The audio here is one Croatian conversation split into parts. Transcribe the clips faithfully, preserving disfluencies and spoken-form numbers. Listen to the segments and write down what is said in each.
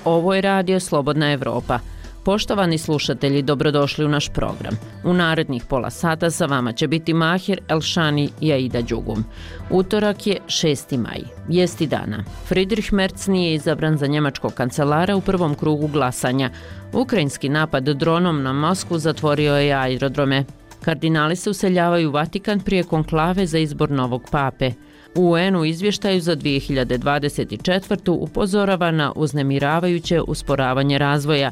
Ovo je Radio Slobodna Evropa. Poštovani slušatelji, dobrodošli u naš program. U narednih pola sata sa vama će biti Mahir Elšani i Aida Đugum. Utorak je šesti maj, vijesti dana. Friedrich Merz nije izabran za njemačkog kancelara u prvom krugu glasanja. Ukrajinski napad dronom na Moskvu zatvorio je aerodrome. Kardinali se useljavaju u Vatikan prije konklave za izbor novog pape. U U N-u izvještaju za dvije hiljade dvadeset četvrtu. upozorava na uznemiravajuće usporavanje razvoja.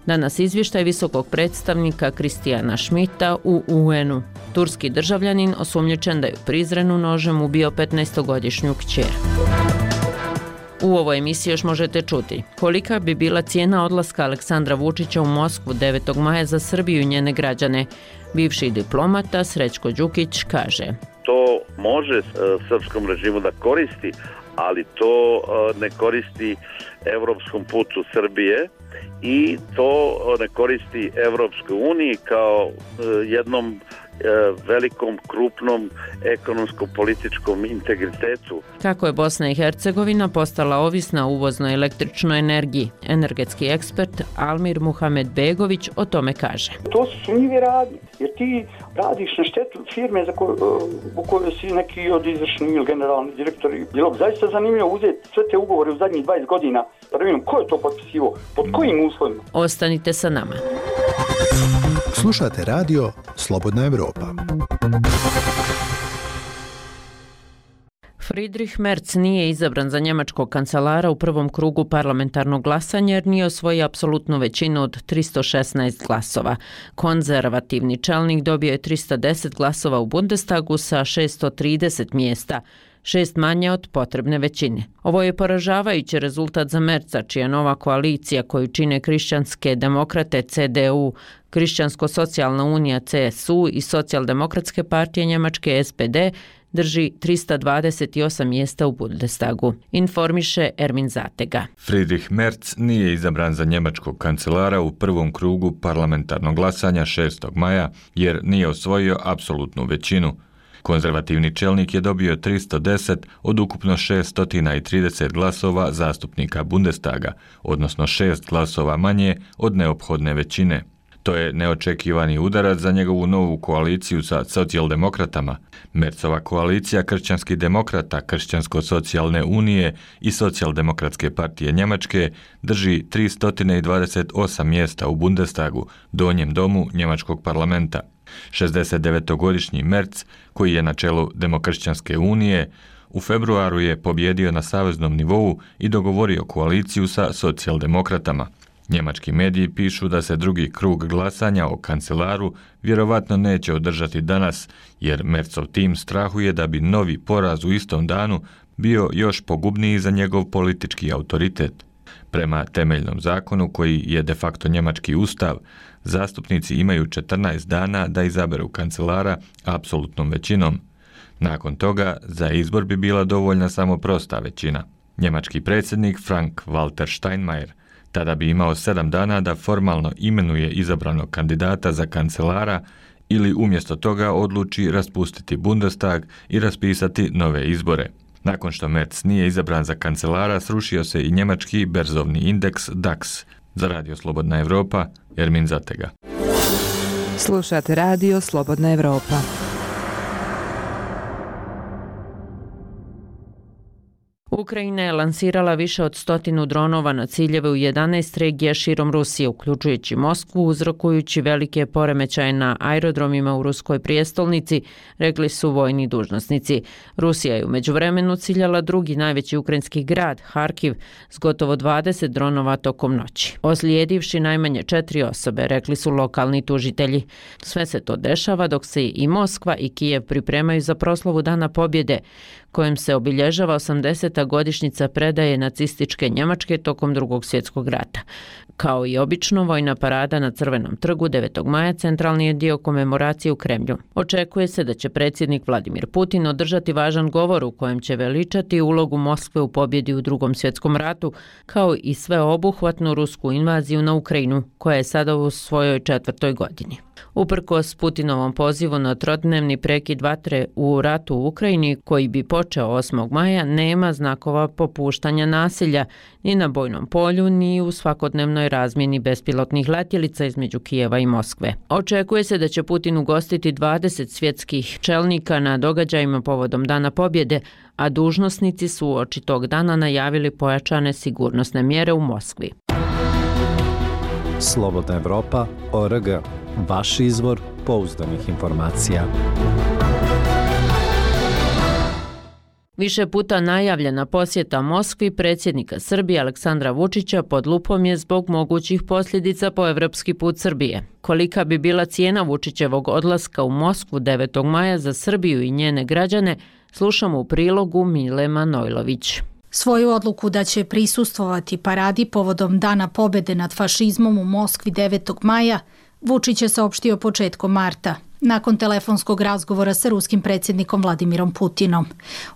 Danas izvještaj visokog predstavnika Kristijana Schmidta u U N-u. Turski državljanin osumnjičen da je u Prizrenu nožem ubio petnaestogodišnju kćer. U ovoj emisiji još možete čuti kolika bi bila cijena odlaska Aleksandra Vučića u Moskvu devetog maja za Srbiju i njene građane. Bivši diplomata Srećko Đukić kaže: To može srpskom režimu da koristi, ali to ne koristi evropskom putu Srbije i to ne koristi Evropskoj uniji kao jednom velikom, krupnom ekonomsko-političkom integritetu. Kako je Bosna i Hercegovina postala ovisna o uvoznoj električnoj energiji, energetski ekspert Almir Muhamedbegović o tome kaže: To su sumnjive radnje, jer ti radiš na štetu firme za koju, u kojoj si neki od izvršnih ili generalni direktori. Bilo bi zaista zanimljivo uzeti sve te ugovore u zadnjih dvadeset godina, da vidimo ko je to potpisivo, pod kojim uslovima. Ostanite sa nama. Slušate radio Slobodna Evropa. Friedrich Merz nije izabran za njemačkog kancelara u prvom krugu parlamentarnog glasanja jer nije osvojio apsolutnu većinu od tristo šesnaest glasova. Konzervativni čelnik dobio je tristo deset glasova u Bundestagu sa šessto trideset mjesta, šest manje od potrebne većine. Ovo je poražavajući rezultat za Merza, čija nova koalicija koju čine Kršćanske demokrate C D U, Kršćansko-socijalna unija C S U i Socijaldemokratske partije Njemačke S P D drži tristo dvadeset osam mjesta u Bundestagu, informiše Ermin Zatega. Friedrich Merz nije izabran za njemačkog kancelara u prvom krugu parlamentarnog glasanja šestog maja jer nije osvojio apsolutnu većinu. Konzervativni čelnik je dobio tristo deset od ukupno šesto trideset glasova zastupnika Bundestaga, odnosno šest glasova manje od neophodne većine. To je neočekivani udarac za njegovu novu koaliciju sa socijaldemokratama. Merzova koalicija kršćanskih demokrata, Kršćansko-socijalne unije i Socijaldemokratske partije Njemačke drži tristo dvadeset osam mjesta u Bundestagu, donjem domu njemačkog parlamenta. šezdesetdevetogodišnji Merz, koji je na čelu Demokršćanske unije, u februaru je pobjedio na saveznom nivou i dogovorio koaliciju sa socijaldemokratama. Njemački mediji pišu da se drugi krug glasanja o kancelaru vjerovatno neće održati danas, jer Merzov tim strahuje da bi novi poraz u istom danu bio još pogubniji za njegov politički autoritet. Prema temeljnom zakonu, koji je de facto njemački ustav, zastupnici imaju četrnaest dana da izaberu kancelara apsolutnom većinom. Nakon toga, za izbor bi bila dovoljna samo prosta većina. Njemački predsjednik Frank-Walter Steinmeier tada bi imao sedam dana da formalno imenuje izabranog kandidata za kancelara ili umjesto toga odluči raspustiti Bundestag i raspisati nove izbore. Nakon što Merz nije izabran za kancelara, srušio se i njemački berzovni indeks DAX. Za Radio Slobodna Evropa, Ermin Zatega. Slušate Radio Slobodna Evropa. Ukrajina je lansirala više od stotinu dronova na ciljeve u jedanaest regija širom Rusije, uključujući Moskvu, uzrokujući velike poremećaje na aerodromima u ruskoj prijestolnici, rekli su vojni dužnosnici. Rusija je u međuvremenu ciljala drugi najveći ukrajinski grad, Harkiv, s gotovo dvadeset dronova tokom noći, ozlijedivši najmanje četiri osobe, rekli su lokalni tužitelji. Sve se to dešava dok se i Moskva i Kijev pripremaju za proslavu Dana pobjede, kojim se obilježava osamdeseta godišnjica predaje nacističke Njemačke tokom Drugog svjetskog rata. Kao i obično, vojna parada na Crvenom trgu devetog maja centralni je dio komemoracije u Kremlju. Očekuje se da će predsjednik Vladimir Putin održati važan govor u kojem će veličati ulogu Moskve u pobjedi u Drugom svjetskom ratu, kao i sveobuhvatnu rusku invaziju na Ukrajinu, koja je sada u svojoj četvrtoj godini. Uprkos Putinovom pozivu na trodnevni prekid vatre u ratu u Ukrajini, koji bi počeo osmog maja, nema znakova popuštanja nasilja ni na bojnom polju, ni u svakodnevnoj razmjeni bespilotnih letjelica između Kijeva i Moskve. Očekuje se da će Putin ugostiti dvadeset svjetskih čelnika na događajima povodom Dana pobjede, a dužnosnici su uoči tog dana najavili pojačane sigurnosne mjere u Moskvi. Slobodna Evropa, O R G. Vaš izvor pouzdanih informacija. Više puta najavljena posjeta Moskvi predsjednika Srbije Aleksandra Vučića pod lupom je zbog mogućih posljedica po evropski put Srbije. Kolika bi bila cijena Vučićevog odlaska u Moskvu devetog maja za Srbiju i njene građane, slušamo u prilogu Mile Manojlović. Svoju odluku da će prisustvovati paradi povodom Dana pobjede nad fašizmom u Moskvi devetog maja Vučić je saopštio početkom marta, nakon telefonskog razgovora sa ruskim predsjednikom Vladimirom Putinom.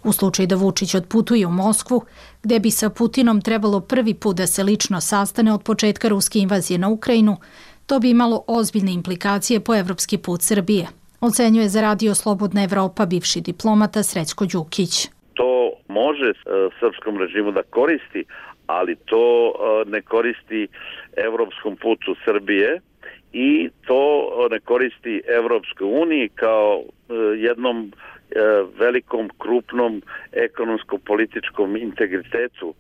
U slučaju da Vučić odputuje u Moskvu, gde bi sa Putinom trebalo prvi put da se lično sastane od početka ruske invazije na Ukrajinu, to bi imalo ozbiljne implikacije po evropski put Srbije, ocenjuje za Radio Slobodna Evropa bivši diplomata Srećko Đukić. To može srpskom režimu da koristi, ali to ne koristi evropskom putu Srbije i to ne koristi Evropskoj uniji kao jednom velikom, krupnom ekonomsko-političkom integritetu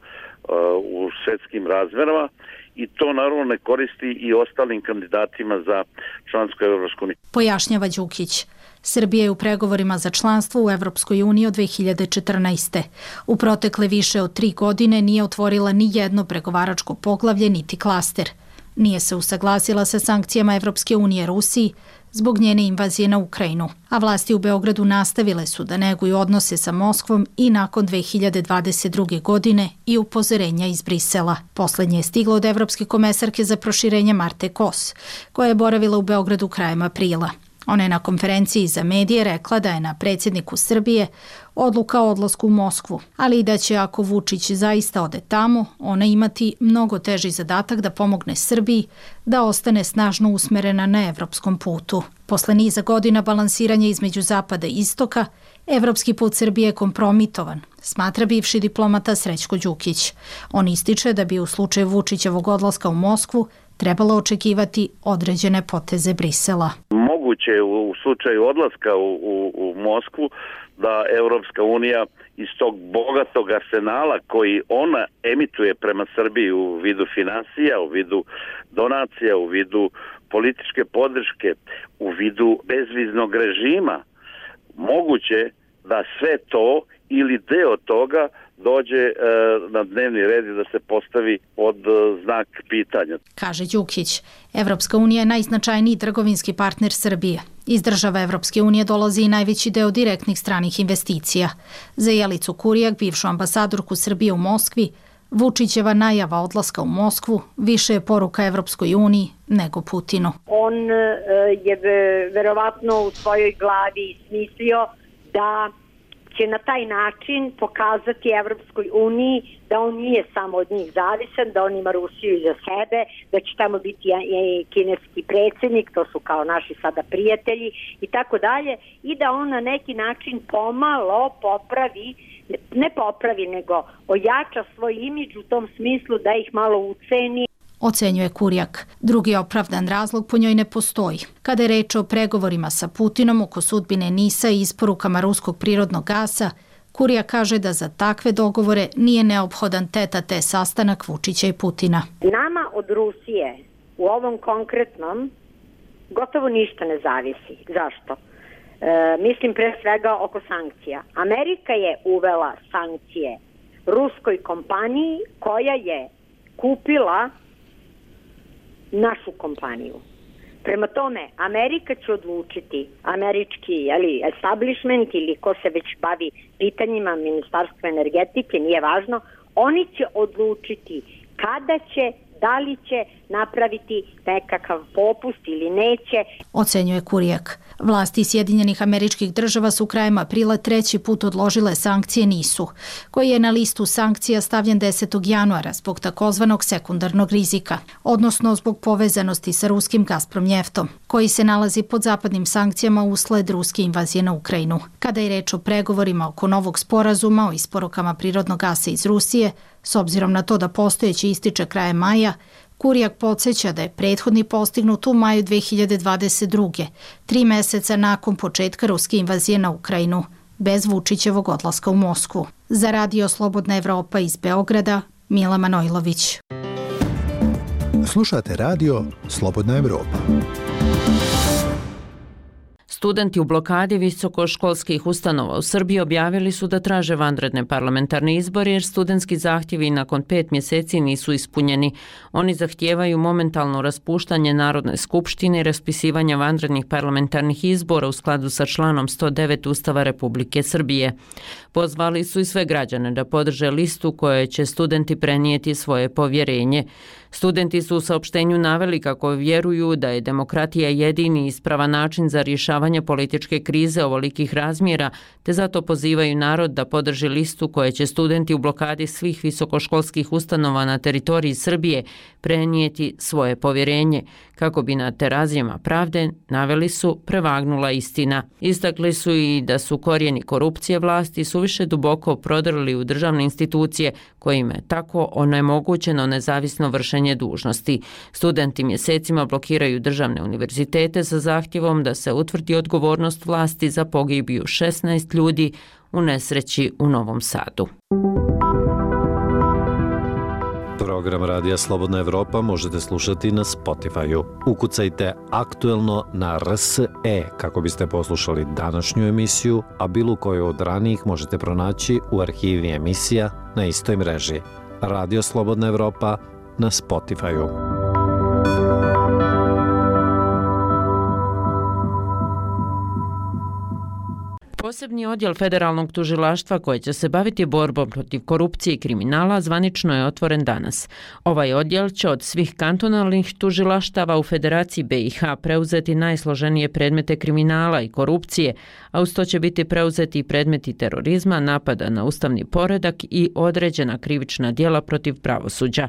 u svjetskim razmjerama i to naravno ne koristi i ostalim kandidatima za članstvo u Evropskoj uniji. Pojašnjava Đukić. Srbija je u pregovorima za članstvo u Evropskoj uniji od dve hiljade četrnaeste. U protekle više od tri godine nije otvorila ni jedno pregovaračko poglavlje niti klaster. Nije se usaglasila sa sankcijama Evropske unije Rusiji zbog njene invazije na Ukrajinu, a vlasti u Beogradu nastavile su da neguju odnose sa Moskvom i nakon dve hiljade dvadeset druge. godine i upozorenja iz Brisela. Poslednje je stiglo od evropske komesarke za proširenje Marte Kos, koja je boravila u Beogradu krajem aprila. Ona je na konferenciji za medije rekla da je na predsjedniku Srbije odluka o odlasku u Moskvu, ali i da će ako Vučić zaista ode tamo, ona imati mnogo teži zadatak da pomogne Srbiji da ostane snažno usmerena na evropskom putu. Posle niza godina balansiranja između zapada i istoka, evropski put Srbije je kompromitovan, smatra bivši diplomata Srećko Đukić. On ističe da bi u slučaju Vučićevog odlaska u Moskvu trebalo očekivati određene poteze Brisela. Moguće u slučaju odlaska u, u, u Moskvu da Evropska unija iz tog bogatog arsenala koji ona emituje prema Srbiji u vidu finansija, u vidu donacija, u vidu političke podrške, u vidu bezviznog režima, moguće da sve to ili deo toga dođe e, na dnevni red i da se postavi pod e, znak pitanja. Kaže Đukić, Evropska unija je najznačajniji trgovinski partner Srbije. Iz država Evropske unije dolazi i najveći deo direktnih stranih investicija. Za Jelicu Kurijak, bivšu ambasadorku Srbije u Moskvi, Vučićeva najava odlaska u Moskvu više je poruka Evropskoj uniji nego Putinu. On je verovatno u svojoj glavi smislio da će na taj način pokazati Evropskoj uniji da on nije samo od njih zavisan, da on ima Rusiju iza sebe, da će tamo biti i kineski predsjednik, to su kao naši sada prijatelji i tako dalje, i da on na neki način pomalo popravi, ne popravi, nego ojača svoj imidž u tom smislu da ih malo uceni. Ocenjuje Kurijak. Drugi opravdan razlog po njoj ne postoji. Kada je reč o pregovorima sa Putinom oko sudbine NIS-a i isporukama ruskog prirodnog gasa, Kurijak kaže da za takve dogovore nije neophodan tete-a-tete sastanak Vučića i Putina. Nama od Rusije u ovom konkretnom gotovo ništa ne zavisi. Zašto? E, mislim pre svega oko sankcija. Amerika je uvela sankcije ruskoj kompaniji koja je kupila našu kompaniju. Prema tome, Amerika će odlučiti, američki jeli, establishment ili ko se već bavi pitanjima Ministarstva energetike, nije važno, oni će odlučiti kada će, da li će, napraviti nekakav popust ili neće. Ocenjuje Kurijak. Vlasti Sjedinjenih Američkih Država su krajem aprila treći put odložile sankcije NIS-u, koji je na listu sankcija stavljen desetog januara zbog takozvanog sekundarnog rizika, odnosno zbog povezanosti sa ruskim Gazprom njeftom, koji se nalazi pod zapadnim sankcijama usled ruske invazije na Ukrajinu. Kada je reč o pregovorima oko novog sporazuma o isporukama prirodnog gasa iz Rusije, s obzirom na to da postojeći ističe krajem maja, Kurijak podsjeća da je prethodni postignut u maju dve hiljade dvadeset druge, tri meseca nakon početka ruske invazije na Ukrajinu, bez Vučićevog odlaska u Moskvu. Za Radio Slobodna Evropa iz Beograda, Mila Manojlović. Slušate Radio Slobodna Evropa. Studenti u blokadi visokoškolskih ustanova u Srbiji objavili su da traže vanredne parlamentarne izbore jer studentski zahtjevi nakon pet mjeseci nisu ispunjeni. Oni zahtijevaju momentalno raspuštanje Narodne skupštine i raspisivanje vanrednih parlamentarnih izbora u skladu sa članom sto devet Ustava Republike Srbije. Pozvali su i sve građane da podrže listu koje će studenti prenijeti svoje povjerenje. Studenti su u saopštenju naveli kako vjeruju da je demokratija jedini ispravan način za rješavanje političke krize ovolikih razmjera, te zato pozivaju narod da podrži listu koje će studenti u blokadi svih visokoškolskih ustanova na teritoriji Srbije prenijeti svoje povjerenje, kako bi na terazijama pravde, naveli su, prevagnula istina. Istakli su i da su korijeni korupcije vlasti suviše duboko prodrli u državne institucije, kojima je tako onemogućeno nezavisno vršenje dužnosti. Studenti mjesecima blokiraju državne univerzitete sa zahtjevom da se utvrdi odgovornost vlasti za pogibiju šesnaest ljudi u nesreći u Novom Sadu. Program Radija Slobodna Evropa možete slušati na Spotify-u. Ukucajte aktuelno na R S E kako biste poslušali današnju emisiju, a bilo koju od ranijih možete pronaći u arhivi emisija na istoj mreži. Radio Slobodna Evropa na Spotify-u. Posebni odjel Federalnog tužilaštva koji će se baviti borbom protiv korupcije i kriminala zvanično je otvoren danas. Ovaj odjel će od svih kantonalnih tužilaštava u Federaciji B i H preuzeti najsloženije predmete kriminala i korupcije, a uz to će biti preuzeti i predmeti terorizma, napada na ustavni poredak i određena krivična djela protiv pravosuđa.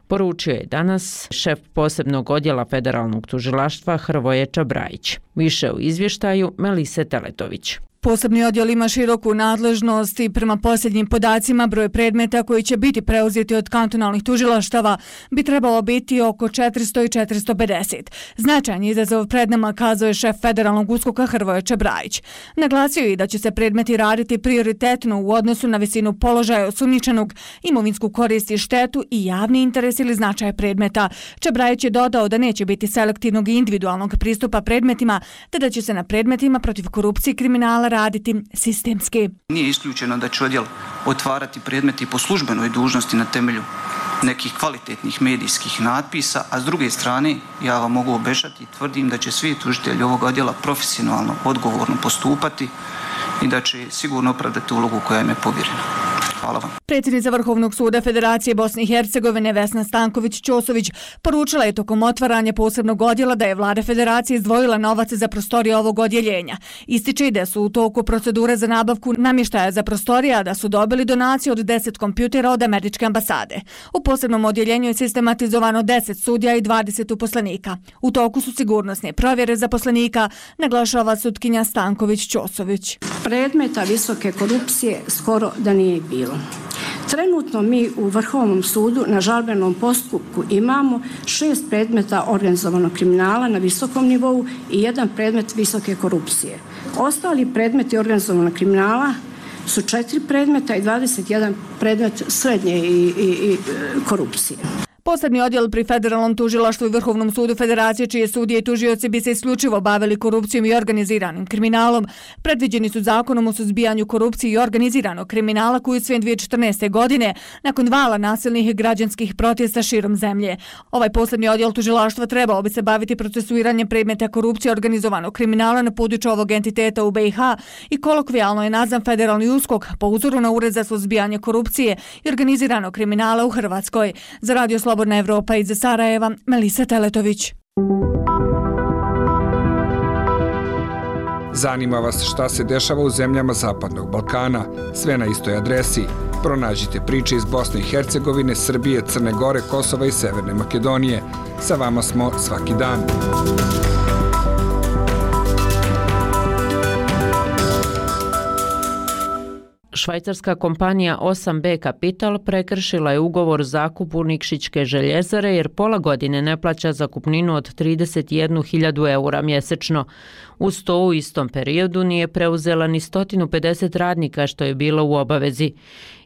Poručio je danas šef posebnog odjela Federalnog tužilaštva Hrvoje Čabrajić. Više u izvještaju Melise Teletović. Posebni odjel ima široku nadležnost i prema posljednjim podacima broj predmeta koji će biti preuzeti od kantonalnih tužilaštava bi trebalo biti oko četiristo i četiristo pedeset. Značajan izazov pred nama, kazao je šef Federalnog uskoka Hrvoje Čabrajić. Naglasio je da će se predmeti raditi prioritetno u odnosu na visinu položaja osumnjičenog, imovinsku korist i štetu i javni interes ili značaj predmeta. Čabrajić je dodao da neće biti selektivnog i individualnog pristupa predmetima, te da će se na predmetima protiv korupcije i kriminala raditi sistemski. Nije isključeno da će odjel otvarati predmeti po službenoj dužnosti na temelju nekih kvalitetnih medijskih natpisa, a s druge strane ja vam mogu obećati i tvrdim da će svi tužitelji ovog odjela profesionalno, odgovorno postupati i da će sigurno opravdati ulogu koja im je povjerena. Hvala vam. Predsjednica Vrhovnog suda Federacije Bosne i Hercegovine Vesna Stanković-Ćosović poručila je tokom otvaranja posebnog odjela da je vlada Federacije izdvojila novac za prostorije ovog odjeljenja. Ističe da su u toku procedure za nabavku namještaja za prostorije, a da su dobili donaciju od deset kompjutera od američke ambasade. U posebnom odjeljenju je sistematizovano deset sudija i dvadeset uposlenika. U toku su sigurnosne provjere zaposlenika, naglašava sutkinja Stanković-Ćosović. Predmeta visoke korupcije skoro da nije bilo. Trenutno mi u Vrhovnom sudu na žalbenom postupku imamo šest predmeta organizovanog kriminala na visokom nivou i jedan predmet visoke korupcije. Ostali predmeti organizovanog kriminala su četiri predmeta i dvadeset jedan predmet srednje i, i, i korupcije. Posebni odjel pri Federalnom tužilaštvu i Vrhovnom sudu Federacije, čije sudije i tužioci bi se isključivo bavili korupcijom i organiziranim kriminalom, predviđeni su zakonom o suzbijanju korupcije i organiziranog kriminala koji je usvojen dvije hiljade četrnaeste. godine nakon vala nasilnih građanskih protesta širom zemlje. Ovaj posebni odjel tužilaštva trebao bi se baviti procesuiranjem predmeta korupcije i organizovanog kriminala na području ovog entiteta u B i H i kolokvijalno je nazvan Federalni uskok po uzoru na Ured za suzbijanje korupcije i organiziranog kriminala u Hrvatskoj. Za Radio Slobodna Evropa iz Sarajeva, Melisa Teletović. Zanima vas šta se dešava u zemljama Zapadnog Balkana? Sve na istoj adresi. Pronađite priče iz Bosne i Hercegovine, Srbije, Crne Gore, Kosova i Severne Makedonije. Sa vama smo svaki dan. Švajcarska kompanija osam be Capital prekršila je ugovor o zakupu Nikšićke željezare jer pola godine ne plaća zakupninu od trideset jednu hiljadu eura mjesečno. Uz to u istom periodu nije preuzela ni sto pedeset radnika što je bilo u obavezi.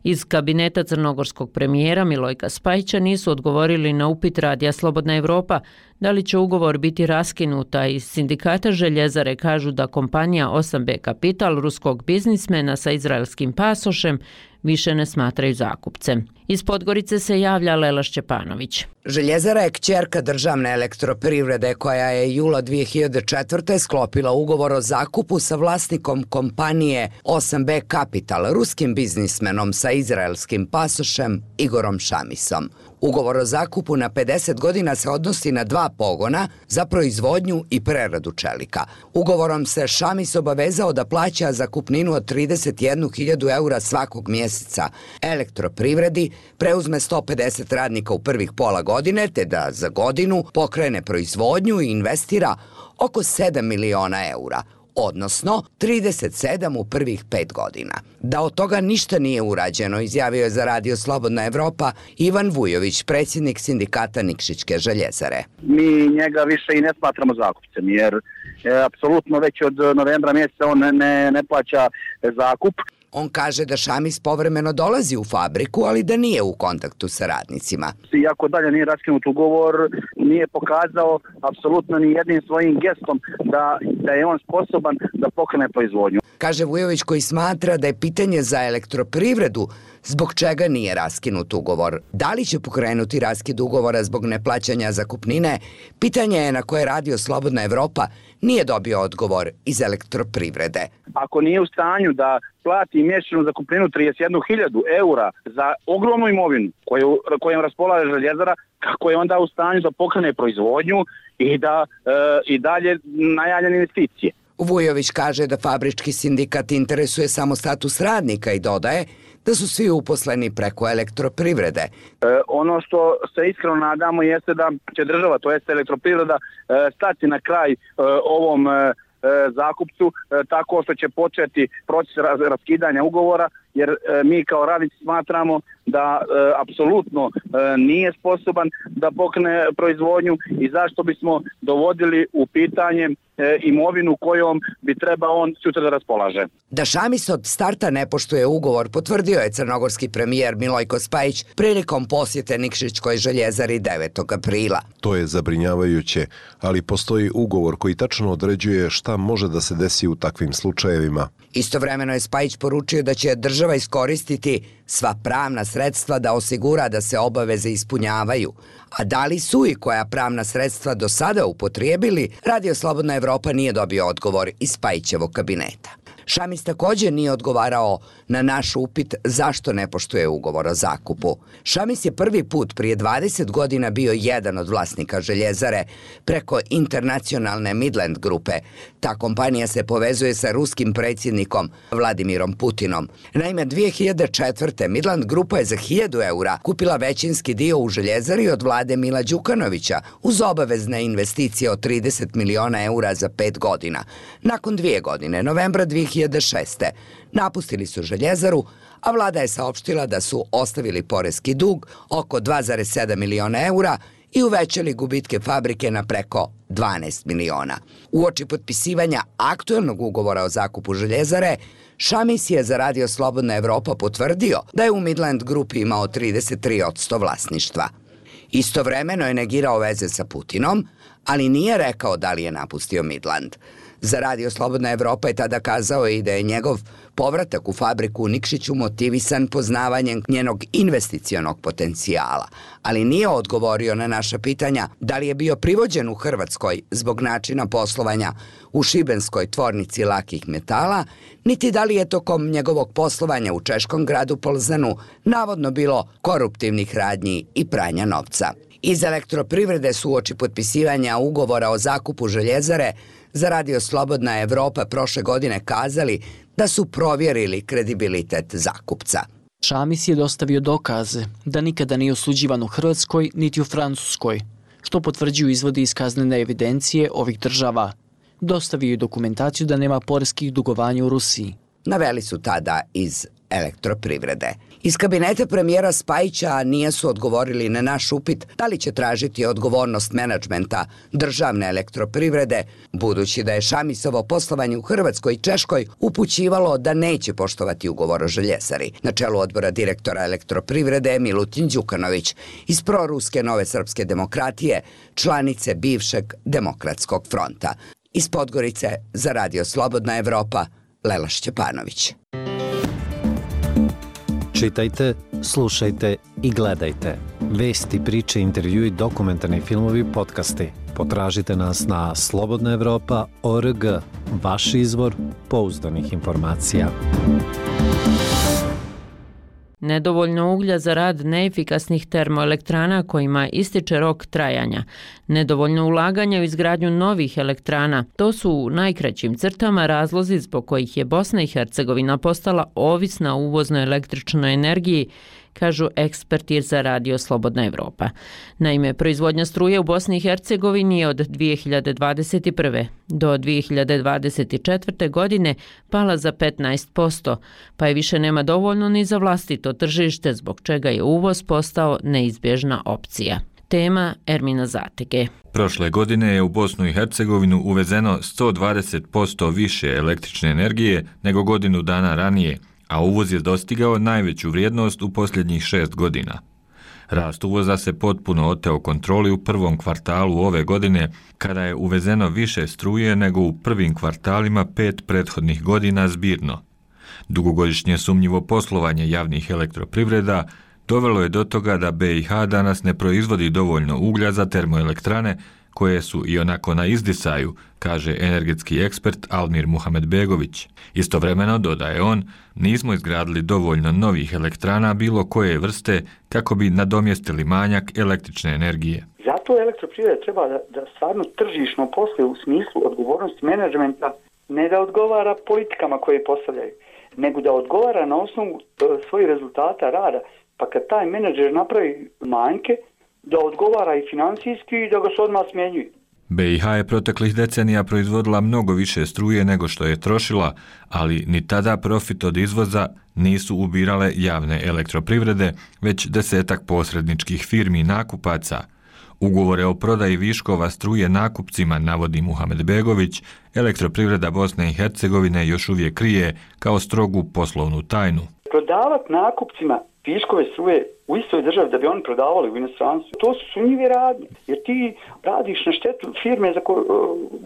Iz kabineta crnogorskog premijera Milojka Spajića nisu odgovorili na upit Radija Slobodna Evropa da li će ugovor biti raskinuta. Iz sindikata željezare kažu da kompanija osam be Capital ruskog biznismena sa izraelskim pasošem više ne smatraju zakupcem. Iz Podgorice se javlja Lela Šćepanović. Željezara je kćerka državne elektroprivrede koja je jula dvije hiljade četvrte. sklopila ugovor o zakupu sa vlasnikom kompanije osam be Capital, ruskim biznismenom sa izraelskim pasošem Igorom Šamisom. Ugovor o zakupu na pedeset godina se odnosi na dva pogona za proizvodnju i preradu čelika. Ugovorom se Šamis obavezao da plaća zakupninu od trideset jednu hiljadu eura svakog mjeseca elektroprivredi, preuzme sto pedeset radnika u prvih pola godine, te da za godinu pokrene proizvodnju i investira oko sedam miliona eura, odnosno trideset sedam u prvih pet godina. Da od toga ništa nije urađeno, izjavio je za Radio Slobodna Evropa Ivan Vujović, predsjednik sindikata Nikšićke željezare. Mi njega više i ne smatramo zakupcem, jer je, apsolutno već od novembra mjeseca on ne, ne, ne plaća zakup. On kaže da Šamis povremeno dolazi u fabriku, ali da nije u kontaktu sa radnicima. Iako dalje nije raskinut ugovor, nije pokazao apsolutno ni jednim svojim gestom da, da je on sposoban da pokrene proizvodnju. Kaže Vujović, koji smatra da je pitanje za elektroprivredu zbog čega nije raskinut ugovor. Da li će pokrenuti raskid ugovora zbog neplaćanja zakupnine? Pitanje je na koje Radio Slobodna Evropa nije dobio odgovor iz elektroprivrede. Ako nije u stanju da plati mjesečnu zakupninu trideset jednu hiljadu eura za ogromnu imovinu koju, kojom raspolaže željezara, kako je onda u stanju da pokrene proizvodnju i da e, i dalje najavljene investicije? Vujović kaže da fabrički sindikat interesuje samo status radnika i dodaje da su svi uposleni preko elektroprivrede. E, ono što se iskreno nadamo jeste da će država, to jest elektroprivreda, e, stati na kraj e, ovom e, zakupcu e, tako što će početi proces raz, raskidanja ugovora, jer e, mi kao radnici smatramo da e, apsolutno e, nije sposoban da pokrene proizvodnju i zašto bismo dovodili u pitanje e, imovinu kojom bi trebao on sutra da raspolaže. Da Šamis od starta ne poštuje ugovor potvrdio je crnogorski premijer Milojko Spajić prilikom posjete Nikšićkoj željezari devetog aprila. To je zabrinjavajuće, ali postoji ugovor koji tačno određuje šta može da se desi u takvim slučajevima. Istovremeno je Spajić poručio da će država iskoristiti sva pravna sredstva da osigura da se obaveze ispunjavaju. A da li su i koja pravna sredstva do sada upotrijebili, Radio Slobodna Evropa nije dobio odgovor iz Spajićevog kabineta. Šamis također nije odgovarao na naš upit zašto ne poštuje ugovor o zakupu. Šamis je prvi put prije dvadeset godina bio jedan od vlasnika željezare preko internacionalne Midland grupe. Ta kompanija se povezuje sa ruskim predsjednikom Vladimirom Putinom. Naime, dvije hiljade četvrte. Midland grupa je za hiljadu eura kupila većinski dio u željezari od vlade Mila Đukanovića uz obavezne investicije od trideset miliona eura za pet godina. Nakon dvije godine, novembra dvije hiljade šeste. napustili su željezaru, a vlada je saopštila da su ostavili poreski dug oko dva zarez sedam miliona eura i uvećali gubitke fabrike na preko dvanaest miliona. Uoči potpisivanja aktuelnog ugovora o zakupu željezare, Šamis je za Radio Slobodna Evropa potvrdio da je u Midland grupi imao trideset tri posto vlasništva. Istovremeno je negirao veze sa Putinom, ali nije rekao da li je napustio Midland. Za Radio Slobodna Evropa je tada kazao i da je njegov Povratak u fabriku u Nikšiću motivisan poznavanjem njenog investicionog potencijala, ali nije odgovorio na naša pitanja da li je bio privođen u Hrvatskoj zbog načina poslovanja u šibenskoj tvornici lakih metala, niti da li je tokom njegovog poslovanja u češkom gradu Polzanu navodno bilo koruptivnih radnji i pranja novca. Iz elektroprivrede su uoči potpisivanja ugovora o zakupu željezare za Radio Slobodna Evropa prošle godine kazali da su provjerili kredibilitet zakupca. Šamis je dostavio dokaze da nikada nije osuđivan u Hrvatskoj niti u Francuskoj, što potvrđuju izvodi iz kaznene evidencije ovih država. Dostavio je dokumentaciju da nema poreskih dugovanja u Rusiji. Naveli su tada iz elektroprivrede. Iz kabineta premijera Spajića nije su odgovorili na naš upit da li će tražiti odgovornost menadžmenta državne elektroprivrede, budući da je Šamisovo poslovanje u Hrvatskoj i Češkoj upućivalo da neće poštovati ugovor o željezari. Na čelu odbora direktora elektroprivrede je Milutin Đukanović iz proruske Nove srpske demokratije, članice bivšeg Demokratskog fronta. Iz Podgorice za Radio Slobodna Evropa, Lela Šćepanović. Čitajte, slušajte i gledajte. Vesti, priče, intervjui, dokumentarni filmovi, podcasti. Potražite nas na slobodna evropa tačka org, vaš izvor pouzdanih informacija. Nedovoljno uglja za rad neefikasnih termoelektrana kojima ističe rok trajanja, nedovoljno ulaganja u izgradnju novih elektrana, to su u najkraćim crtama razlozi zbog kojih je Bosna i Hercegovina postala ovisna o uvoznoj električnoj energiji, kažu eksperti za Radio Slobodna Evropa. Naime, proizvodnja struje u Bosni i Hercegovini je od dvije hiljade dvadeset prve. do dvije hiljade dvadeset četvrte. godine pala za petnaest posto, pa je više nema dovoljno ni za vlastito tržište, zbog čega je uvoz postao neizbježna opcija. Tema Ermina Zatege. Prošle godine je u Bosnu i Hercegovinu uvezeno sto dvadeset posto više električne energije nego godinu dana ranije, a uvoz je dostigao najveću vrijednost u posljednjih šest godina. Rast uvoza se potpuno oteo kontroli u prvom kvartalu ove godine, kada je uvezeno više struje nego u prvim kvartalima pet prethodnih godina zbirno. Dugogodišnje sumnjivo poslovanje javnih elektroprivreda dovelo je do toga da B i H danas ne proizvodi dovoljno uglja za termoelektrane, koje su i onako na izdisaju, kaže energetski ekspert Almir Muhamedbegović. Istovremeno, dodaje on, nismo izgradili dovoljno novih elektrana bilo koje vrste kako bi nadomjestili manjak električne energije. Zato elektroprivreda treba da, da stvarno tržišno posluje u smislu odgovornosti menadžmenta, ne da odgovara politikama koje postavljaju, nego da odgovara na osnovu svojih rezultata rada. Pa kad taj menadžer napravi manjke, da odgovara i financijski i da ga se odmah smjenjuje. B i H je proteklih decenija proizvodila mnogo više struje nego što je trošila, ali ni tada profit od izvoza nisu ubirale javne elektroprivrede, već desetak posredničkih firmi i nakupaca. Ugovore o prodaji viškova struje nakupcima, navodi Muhamedbegović, elektroprivreda Bosne i Hercegovine još uvijek krije kao strogu poslovnu tajnu. Prodavati nakupcima viškove struje u istoj državi da bi oni prodavali u inostranstvu, to su sumnjive radnje, jer ti radiš na štetu firme za ko,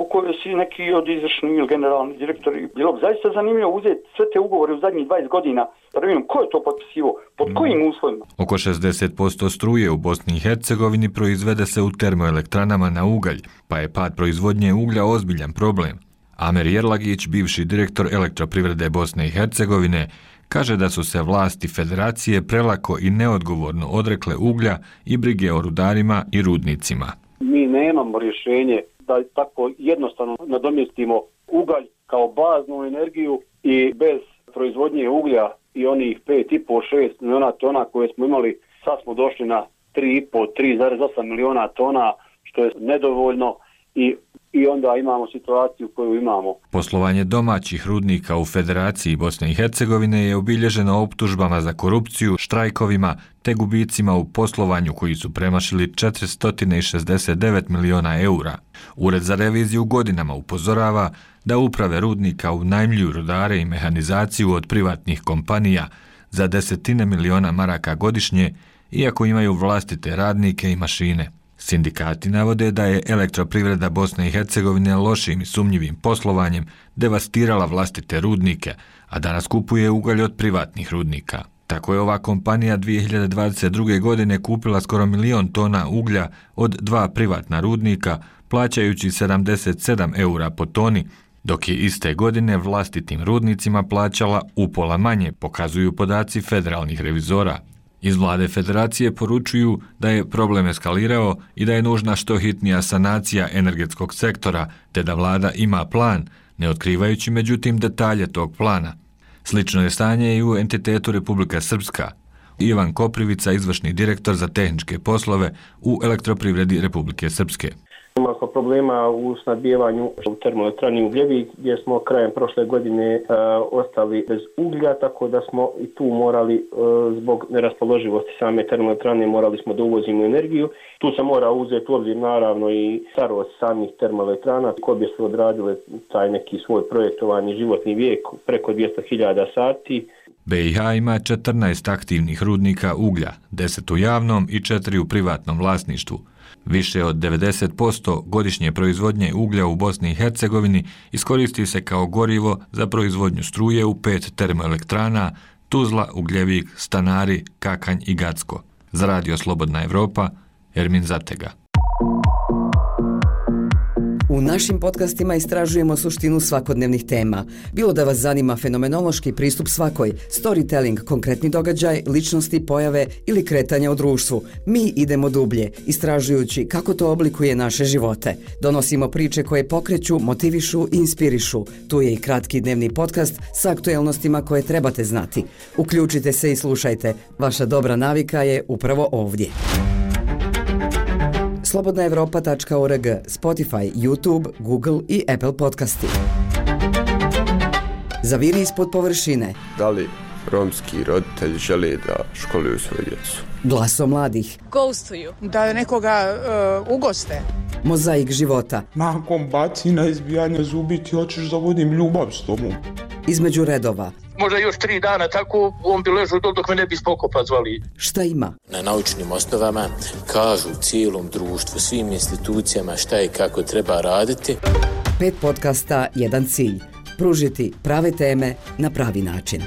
u kojoj si neki od izvršni ili generalni direktori. Bilo bi zaista zanimljivo uzeti sve te ugovore u zadnjih dvadeset godina, da vidimo ko je to potpisivo, pod kojim uslovima. Oko šezdeset posto struje u Bosni i Hercegovini proizvede se u termoelektranama na ugalj, pa je pad proizvodnje uglja ozbiljan problem. Amer Jerlagić, bivši direktor elektroprivrede Bosne i Hercegovine, kaže da su se vlasti federacije prelako i neodgovorno odrekle uglja i brige o rudarima i rudnicima. Mi nemamo rješenje da tako jednostavno nadomjestimo ugalj kao baznu energiju i bez proizvodnje uglja i onih pet i pol do šest miliona tona koje smo imali, sad smo došli na tri i pol do tri zarez osam miliona tona, što je nedovoljno i I onda imamo situaciju koju imamo. Poslovanje domaćih rudnika u Federaciji Bosne i Hercegovine je obilježeno optužbama za korupciju, štrajkovima te gubicima u poslovanju koji su premašili četiristo šezdeset devet miliona eura. Ured za reviziju godinama upozorava da uprave rudnika unajmljuju rudare i mehanizaciju od privatnih kompanija za desetine miliona maraka godišnje, iako imaju vlastite radnike i mašine. Sindikati navode da je elektroprivreda Bosne i Hercegovine lošim i sumnjivim poslovanjem devastirala vlastite rudnike, a danas kupuje ugalj od privatnih rudnika. Tako je ova kompanija dvije hiljade dvadeset druge. godine kupila skoro milion tona uglja od dva privatna rudnika, plaćajući sedamdeset sedam eura po toni, dok je iste godine vlastitim rudnicima plaćala upola manje, pokazuju podaci federalnih revizora. Iz vlade federacije poručuju da je problem eskalirao i da je nužna što hitnija sanacija energetskog sektora, te da vlada ima plan, ne otkrivajući međutim detalje tog plana. Slično je stanje i u entitetu Republika Srpska. Ivan Koprivica, izvršni direktor za tehničke poslove u elektroprivredi Republike Srpske. Imali smo problema u snabdijevanju u termoelektrani Ugljevik, gdje smo krajem prošle godine e, ostali bez uglja, tako da smo i tu morali, e, zbog neraspoloživosti same termoelektrane, morali smo da uvozimo energiju. Tu se mora uzeti u obzir naravno i starost samih termoelektrana, koje su odradile taj neki svoj projektovani životni vijek preko dvjesto hiljada sati. B i H ima četrnaest aktivnih rudnika uglja, deset u javnom i četiri u privatnom vlasništvu. Više od devedeset posto godišnje proizvodnje uglja u Bosni i Hercegovini iskoristi se kao gorivo za proizvodnju struje u pet termoelektrana Tuzla, Ugljevik, Stanari, Kakanj i Gacko. Za Radio Slobodna Evropa, Ermin Zatega. U našim podcastima istražujemo suštinu svakodnevnih tema. Bilo da vas zanima fenomenološki pristup svakoj, storytelling, konkretni događaj, ličnosti, pojave ili kretanja u društvu, mi idemo dublje, istražujući kako to oblikuje naše živote. Donosimo priče koje pokreću, motivišu i inspirišu. Tu je i kratki dnevni podcast sa aktuelnostima koje trebate znati. Uključite se i slušajte. Vaša dobra navika je upravo ovdje. slobodna evropa tačka org, Spotify, YouTube, Google i Apple podcasti. Zaviri ispod površine. Da li romski roditelji žele da školuju svoju djecu? Glaso mladih. Ghostuju. Da nekoga uh, ugoste. Mozaik života. Nakon bacina, izbijanja zubi ti hoćeš da vodim ljubav s tobom. Između redova. Možda još tri dana tako on bi ležao dok me ne bi spokopa zvali. Šta ima? Na naučnim osnovama kažu cijelom društvu, svim institucijama šta i kako treba raditi. Pet podcasta, jedan cilj. Pružiti prave teme na pravi način.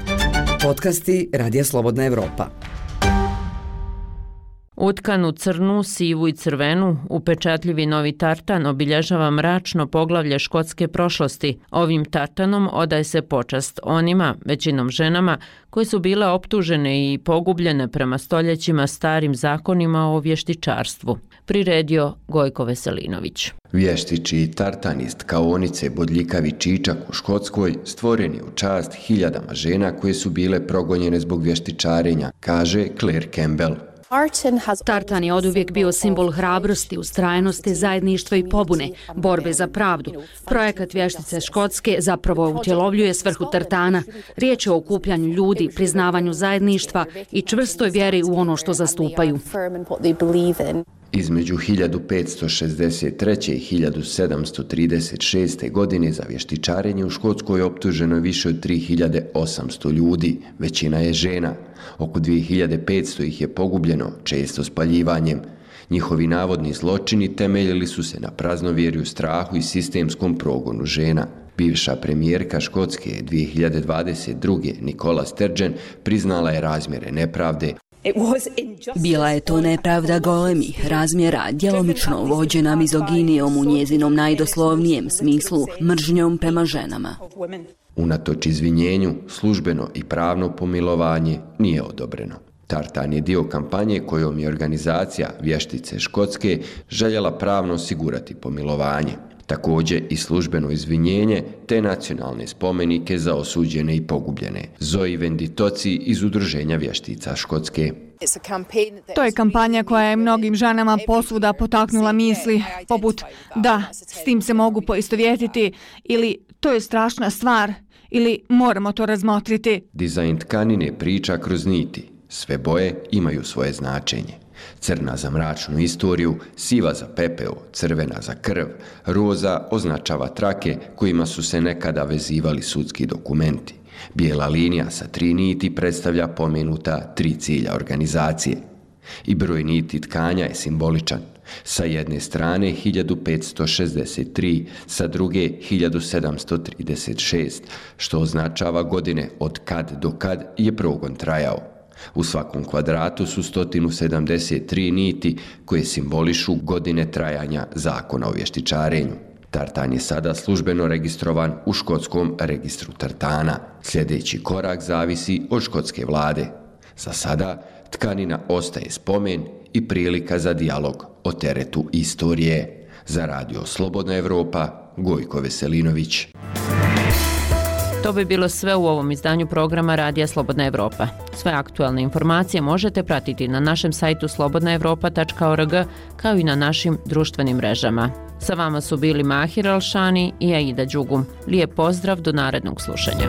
Podcasti Radija Slobodna Evropa. Utkan u crnu, sivu i crvenu, upečatljivi novi tartan obilježava mračno poglavlje škotske prošlosti. Ovim tartanom odaje se počast onima, većinom ženama, koje su bile optužene i pogubljene prema stoljećima starim zakonima o vještičarstvu. Priredio Gojko Veselinović. Vještiči tartanist kaonice Bodljikavi Čičak u Škotskoj stvoren je u čast hiljadama žena koje su bile progonjene zbog vještičarenja, kaže Claire Campbell. Tartan je oduvijek bio simbol hrabrosti, ustrajnosti, zajedništva i pobune, borbe za pravdu. Projekat Vještice Škotske zapravo utjelovljuje svrhu tartana. Riječ je o okupljanju ljudi, priznavanju zajedništva i čvrstoj vjeri u ono što zastupaju. Između hiljadu petsto šezdeset treće i hiljadu sedamsto trideset šeste. godine za vještičarenje u Škotskoj optuženo je više od tri hiljade osamsto ljudi, većina je žena. Oko dvije hiljade petsto ih je pogubljeno, često spaljivanjem. Njihovi navodni zločini temeljili su se na praznovjerju, strahu i sistemskom progonu žena. Bivša premijerka Škotske dvije hiljade dvadeset druge. Nicola Sturgeon priznala je razmjere nepravde. Bila je to nepravda golemih razmjera, djelomično vođena mizoginijom u njezinom najdoslovnijem smislu, mržnjom prema ženama. Unatoč izvinjenju, službeno i pravno pomilovanje nije odobreno. Tartan je dio kampanje kojom je organizacija Vještice Škotske željela pravno osigurati pomilovanje. Također i službeno izvinjenje te nacionalne spomenike za osuđene i pogubljene. Zoe Venditoci iz Udruženja vještica Škotske. To je kampanja koja je mnogim ženama posvuda potaknula misli, poput da, s tim se mogu poistovjetiti, ili to je strašna stvar, ili moramo to razmotriti. Dizajn tkanine priča kroz niti. Sve boje imaju svoje značenje. Crna za mračnu istoriju, siva za pepeo, crvena za krv, roza označava trake kojima su se nekada vezivali sudski dokumenti. Bijela linija sa tri niti predstavlja pomenuta tri cilja organizacije. I broj niti tkanja je simboličan. Sa jedne strane hiljadu petsto šezdeset tri, sa druge hiljadu sedamsto trideset šest, što označava godine od kad do kad je progon trajao. U svakom kvadratu su sto sedamdeset tri niti koje simbolišu godine trajanja zakona o vještičarenju. Tartan je sada službeno registrovan u škotskom registru tartana. Sljedeći korak zavisi od škotske vlade. Za sada tkanina ostaje spomen i prilika za dijalog o teretu istorije. Za Radio Slobodna Evropa, Gojko Veselinović. To bi bilo sve u ovom izdanju programa Radija Slobodna Evropa. Sve aktualne informacije možete pratiti na našem sajtu slobodna evropa tačka org kao i na našim društvenim mrežama. Sa vama su bili Mahir Alšani i Aida Đugum. Lijep pozdrav do narednog slušanja.